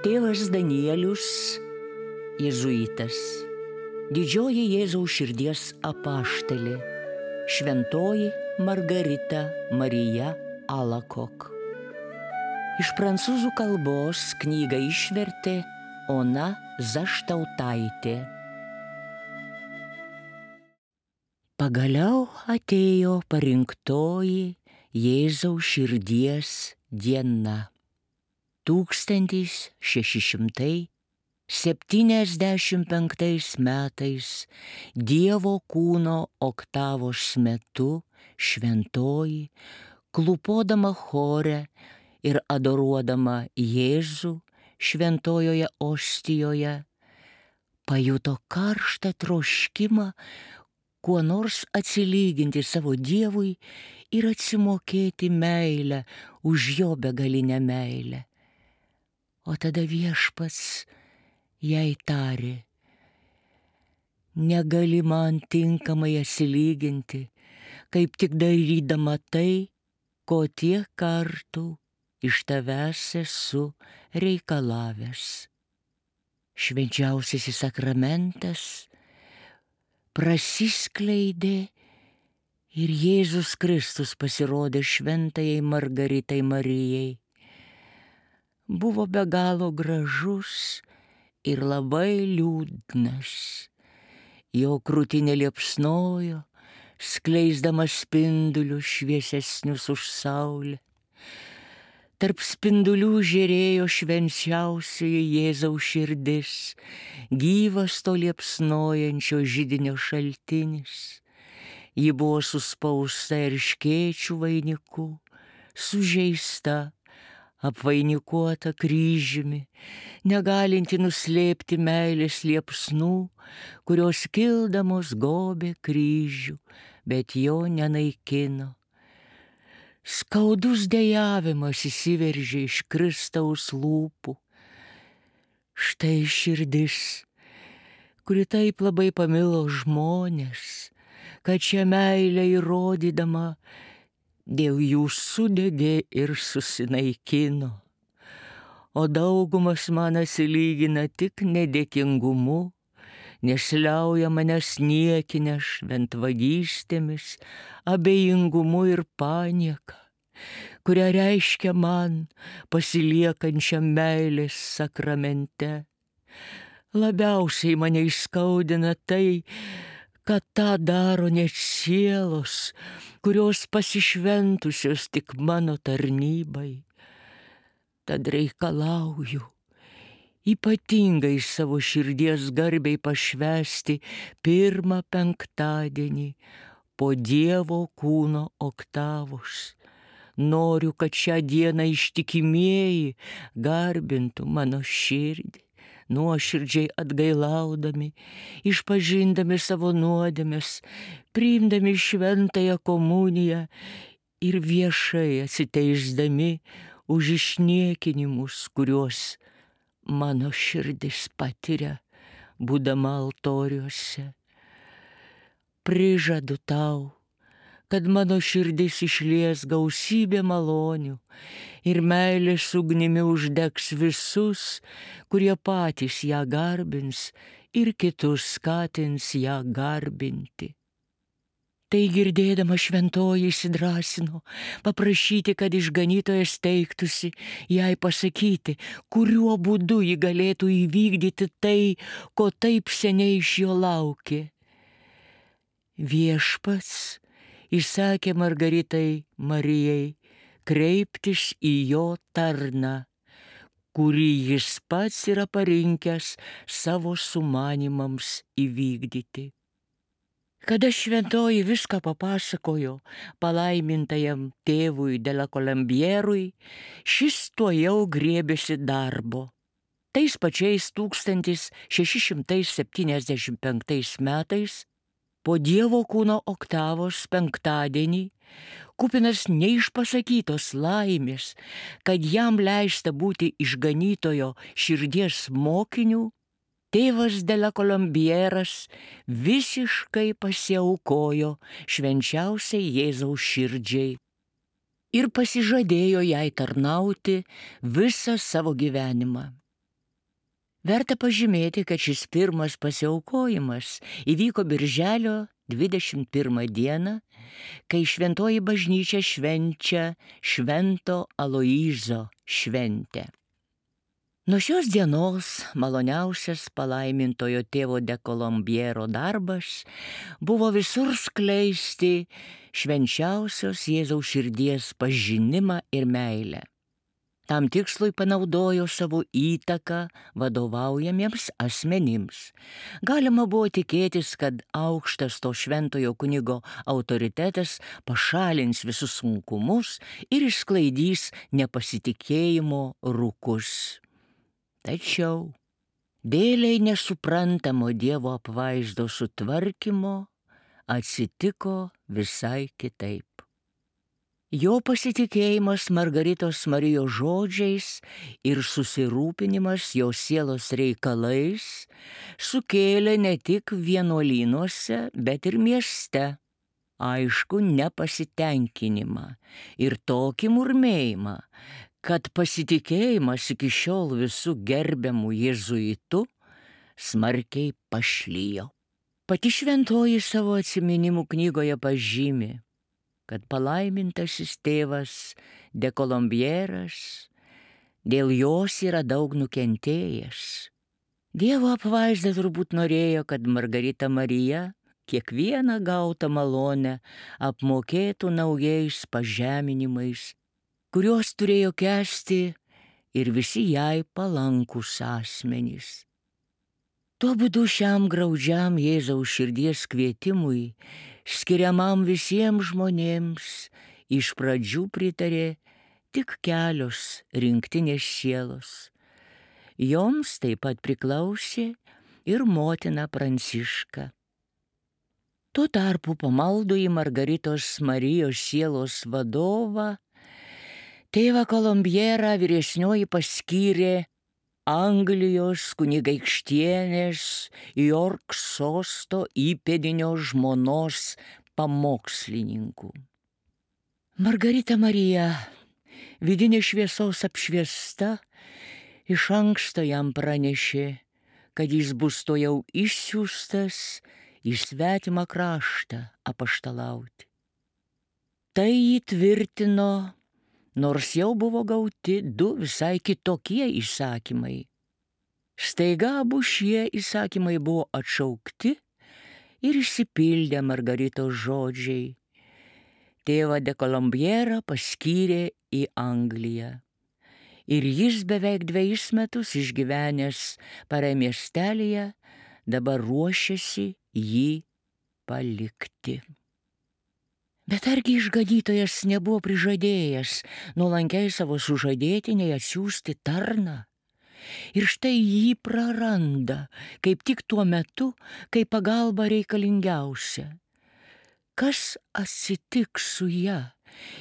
Tėvas Danielius, jėzuitas, didžioji Jėzaus širdies apaštalė, šventoji Margarita Marija Alacoque. Iš prancūzų kalbos knygą išvertė Ona Zaštautaitė. Pagaliau atėjo parinktoji Jėzaus širdies diena. 1675 metais Dievo kūno oktavos metu šventoji, klūpodama chore ir adoruodama Jėzų šventojoje ostijoje, pajuto karštą troškimą kuo nors atsilyginti savo Dievui ir atsimokėti meilę už jo begalinę meilę. O tada Viešpats jai tarė: negali man tinkamai atsilyginti, kaip tik darydama tai, ko tiek kartų iš tavęs esu reikalavęs. Švenčiausiasis sakramentas prasiskleidė ir Jėzus Kristus pasirodė šventajai Margaritai Marijai. Buvo be galo gražus ir labai liūdnas. Jo krūtinė liepsnojo, skleisdamas spindulius šviesesnius už saulę. Tarp spindulių žėrėjo švenčiausioji Jėzaus širdis, gyvas to liepsnojančio židinio šaltinis. Ji buvo suspausta erškėčių vainiku, sužeista, apvainikuota kryžiumi, negalinti nuslėpti meilės liepsnų, kurios kildamos gobė kryžių, bet jo nenaikino. Skaudus dejavimas įsiveržė iš Kristaus lūpų. Štai širdis, kuri taip labai pamilo žmonės, kad šią meilę įrodydama dėl jų sudegė ir susinaikino. O daugumas man atsilygina tik nedėkingumu, nesliauja manęs niekinę šventvagystėmis, abejingumu ir panieka, kurią reiškia man pasiliekančiam meilės sakramente. Labiausiai mane įskaudina tai, kad tą daro net sielos, kurios pasišventusios tik mano tarnybai. Tad reikalauju ypatingai savo širdies garbei pašvęsti pirmą penktadienį po Dievo kūno oktavos. Noriu, kad šią dieną ištikimieji garbintų mano širdį, nuoširdžiai atgailaudami, išpažindami savo nuodėmes, priimdami šventąją komuniją ir viešai atsiteisdami už išniekinimus, kuriuos mano širdis patiria, būdama altoriuose. Prižadu tau, kad mano širdis išlies gausybė malonių ir meilės ugnimi uždegs visus, kurie patys ją garbins ir kitus skatins ją garbinti. Tai girdėdama šventoji įsidrąsino paprašyti, kad išganytojas teiktųsi jai pasakyti, kuriuo būdu ji galėtų įvykdyti tai, ko taip seniai iš jo laukė. Viešpats įsakė Margaritai Marijai kreiptis į jo tarną, kurį jis pats yra parinkęs savo sumanimams įvykdyti. Kada šventoji viską papasakojo palaimintajam tėvui de la Colombierui, šis tuojau griebėsi darbo. Tais pačiais 1675 metais, po Dievo kūno oktavos penktadienį, kupinas neišpasakytos laimės, kad jam leista būti išganytojo širdies mokiniu, tėvas de la Colombieras visiškai pasiaukojo švenčiausiai Jėzaus širdžiai ir pasižadėjo jai tarnauti visą savo gyvenimą. Verta pažymėti, kad šis pirmas pasiaukojimas įvyko birželio 21 dieną, kai šventoji bažnyčia švenčia Švento Aloyzo šventę. Nuo šios dienos maloniausias palaimintojo tėvo de Colombiero darbas buvo visur skleisti švenčiausios Jėzaus širdies pažinimą ir meilę. Tam tikslui panaudojo savo įtaką vadovaujamiems asmenims. Galima buvo tikėtis, kad aukštas to šventojo kunigo autoritetas pašalins visus sunkumus ir išsklaidys nepasitikėjimo rūkus. Tačiau dėlei nesuprantamo Dievo apvaizdo sutvarkymo atsitiko visai kitaip. Jo pasitikėjimas Margaritos Marijos žodžiais ir susirūpinimas jos sielos reikalais sukėlė ne tik vienuolynuose, bet ir mieste aišku nepasitenkinimą ir tokį murmėjimą, kad pasitikėjimas iki šiol visų gerbiamų jėzuitų smarkiai pašlijo. Pati šventoji savo atsiminimų knygoje pažymi, kad palaimintasis tėvas de Colombieras dėl jos yra daug nukentėjęs. Dievo apvaizda turbūt norėjo, kad Margarita Marija kiekvieną gautą malonę apmokėtų naujais pažeminimais, kuriuos turėjo kęsti ir visi jai palankūs asmenys. Tuo būdu šiam graudžiam Jėzaus širdies kvietimui, skiriamam visiems žmonėms, iš pradžių pritarė tik kelios rinktinės sielos. Joms taip pat priklausė ir motina Pranciška. Tuo tarpu pamaldų į Margaritos Marijos sielos vadovą tėvą Colombierą vyresnioji paskyrė Anglijos kunigaikštienės York sosto įpėdinio žmonos pamokslininku. Margarita Marija, vidinės šviesos apšviesta, iš anksto jam pranešė, kad jis bus to jau išsiųstas į svetimą kraštą apaštalauti. Tai įtvirtino, nors jau buvo gauti du visai kitokie įsakymai. Staiga abu šie įsakymai buvo atšaukti ir išsipildė Margaritos žodžiai. Tėvą de Colombierą paskyrė į Angliją. Ir jis beveik 2 metus išgyvenęs Paray miestelyje dabar ruošiasi jį palikti. Bet argi išganytojas nebuvo prižadėjęs nuolankiai savo sužadėtiniai atsiųsti tarną? Ir štai jį praranda, kaip tik tuo metu, kai pagalba reikalingiausia. Kas atsitiks su ja,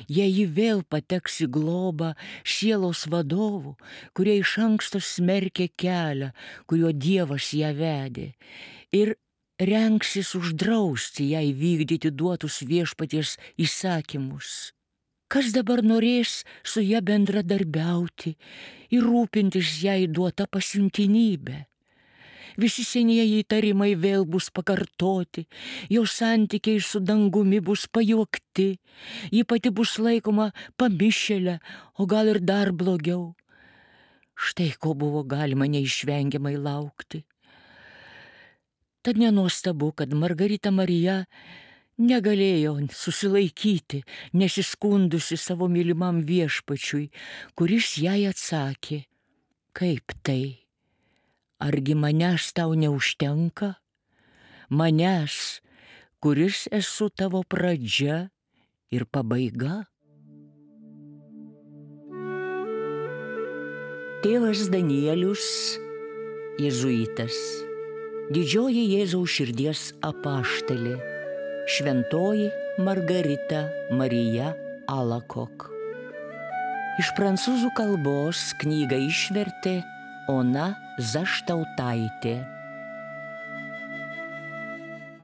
jei ji vėl pateks į globą sielos vadovų, kurie iš anksto smerkė kelią, kuriuo Dievas ją vedė, ir rengsis uždrausti jai vykdyti duotus viešpaties įsakymus? Kas dabar norės su ja bendradarbiauti ir rūpintis jai duota pasiuntinybė? Visi senieji įtarimai vėl bus pakartoti, jo santykiai su dangumi bus pajuokti, ji pati bus laikoma pamišėlė, o gal ir dar blogiau. Štai ko buvo galima neišvengiamai laukti. Tad nenuostabu, kad Margarita Marija negalėjo susilaikyti, nesiskundusi savo mylimam viešpačiui, kuris jai atsakė: kaip tai? Argi manęs tau neužtenka? Manęs, kuris esu tavo pradžia ir pabaiga? Tėvas Danielius, jėzuitas, didžioji Jėzaus širdies apaštalė, šventoji Margarita Marija Alacoque. Iš prancūzų kalbos knygą išvertė Ona Zaštautaitė.